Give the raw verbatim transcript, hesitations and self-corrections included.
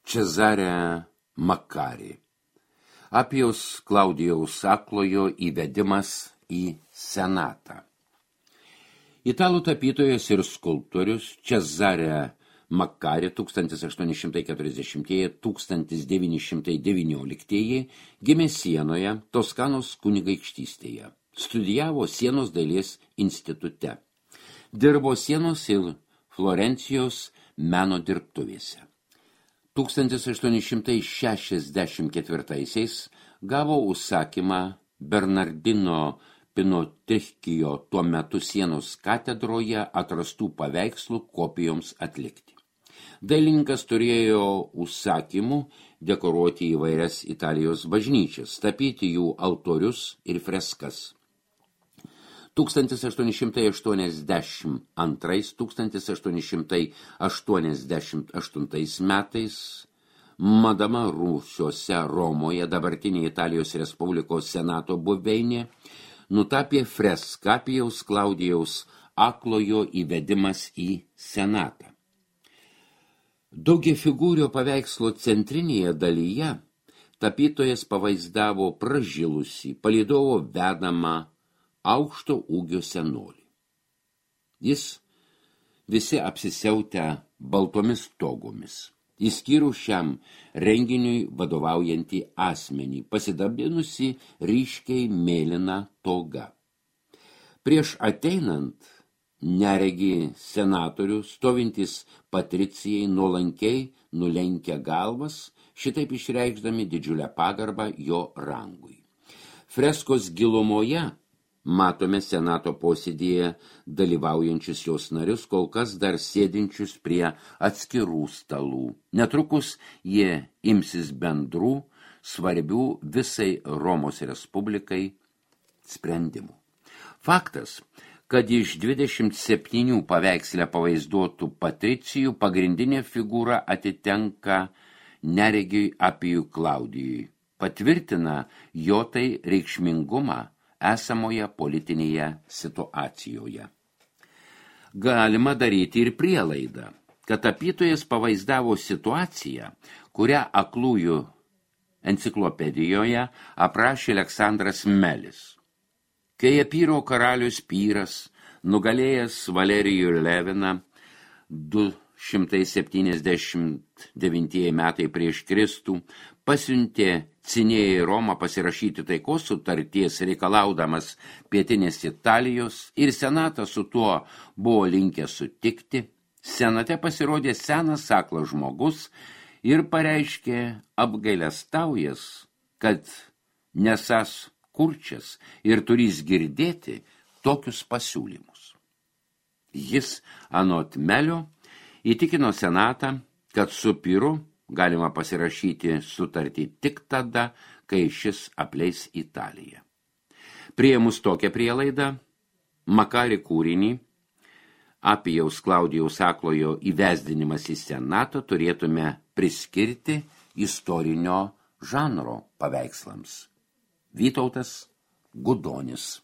Cezare Makari. Apijaus Klaudijaus Aklojo įvedimas į senatą. Italų tapytojas ir skulptorius Cezare Makari tūkstantis aštuoni šimtai keturiasdešimtieji - tūkstantis devyni šimtai devynioliktieji gimė Sienoje, Toskanos kunigaikštystėje. Studijavo Sienos dailės institute. Dirbo Sienos ir Florencijos meno dirbtuvėse. tūkstantis aštuoni šimtai šešiasdešimt ketvirtaisiais gavo užsakymą Bernardino Pinotrichkijo tuo metu Sienos katedroje atrastų paveikslų kopijoms atlikti. Dailininkas turėjo užsakymų dekoruoti įvairias Italijos bažnyčias, tapyti jų altorius ir freskas. tūkstantis aštuoni šimtai aštuoniasdešimt antrais - tūkstantis aštuoni šimtai aštuoniasdešimt aštuntais metais Madama Rūsiuose Romoje, dabartinė Italijos Respublikos senato buveinė, nutapė freską Apijaus Klaudijaus Aklojo įvedimas į senatą. Daugiafigūrio paveikslo centrinėje dalyje tapytojas pavaizdavo pražilusį palydovo vedamą aukšto ūgio senolį. Jis visi apsisiautę baltomis togomis, išskyrus šiam renginiui vadovaujantį asmenį, pasidabinusi ryškiai mėlyną togą. Prieš ateinant neregi senatorių, stovintis patricijai nuolankiai nulenkia galvas, šitaip išreikšdami didžiulę pagarbą jo rangui. Freskos gilumoje matome senato posėdėje dalyvaujančius jos narius, kol kas dar sėdinčius prie atskirų stalų. Netrukus jie imsis bendrų, svarbių visai Romos Respublikai sprendimų. Faktas, kad iš dvidešimt septynių paveiksle pavaizduotų patricijų pagrindinė figūra atitenka neregiui Apijui Klaudijui, patvirtina jo tai reikšmingumą esamoje politinėje situacijoje. Galima daryti ir prielaidą, kad tapytojas pavaizdavo situaciją, kurią Aklųjų enciklopedijoje aprašė Aleksandras Melis. Kai Epyro karalius Pyras, nugalėjęs Valerijų Leviną du šimtai septyniasdešimt devintieji metai prieš Kristų, pasiuntė Cinėją į Romą pasirašyti taikos sutarties reikalaudamas pietinės Italijos ir senatas su tuo buvo linkę sutikti, senate pasirodė senas aklas žmogus ir pareiškė apgailestaujas, kad nesas kurčias ir turys girdėti tokius pasiūlymus. Jis anot Melio įtikino senatą, kad su Pyru galima pasirašyti sutartį tik tada, kai šis apleis Italiją. Priėmus tokią prielaidą, Makari kūrinį Apijaus Klaudijaus Aklojo įvesdinimas į senatą turėtume priskirti istorinio žanro paveikslams. Vytautas Gudonis.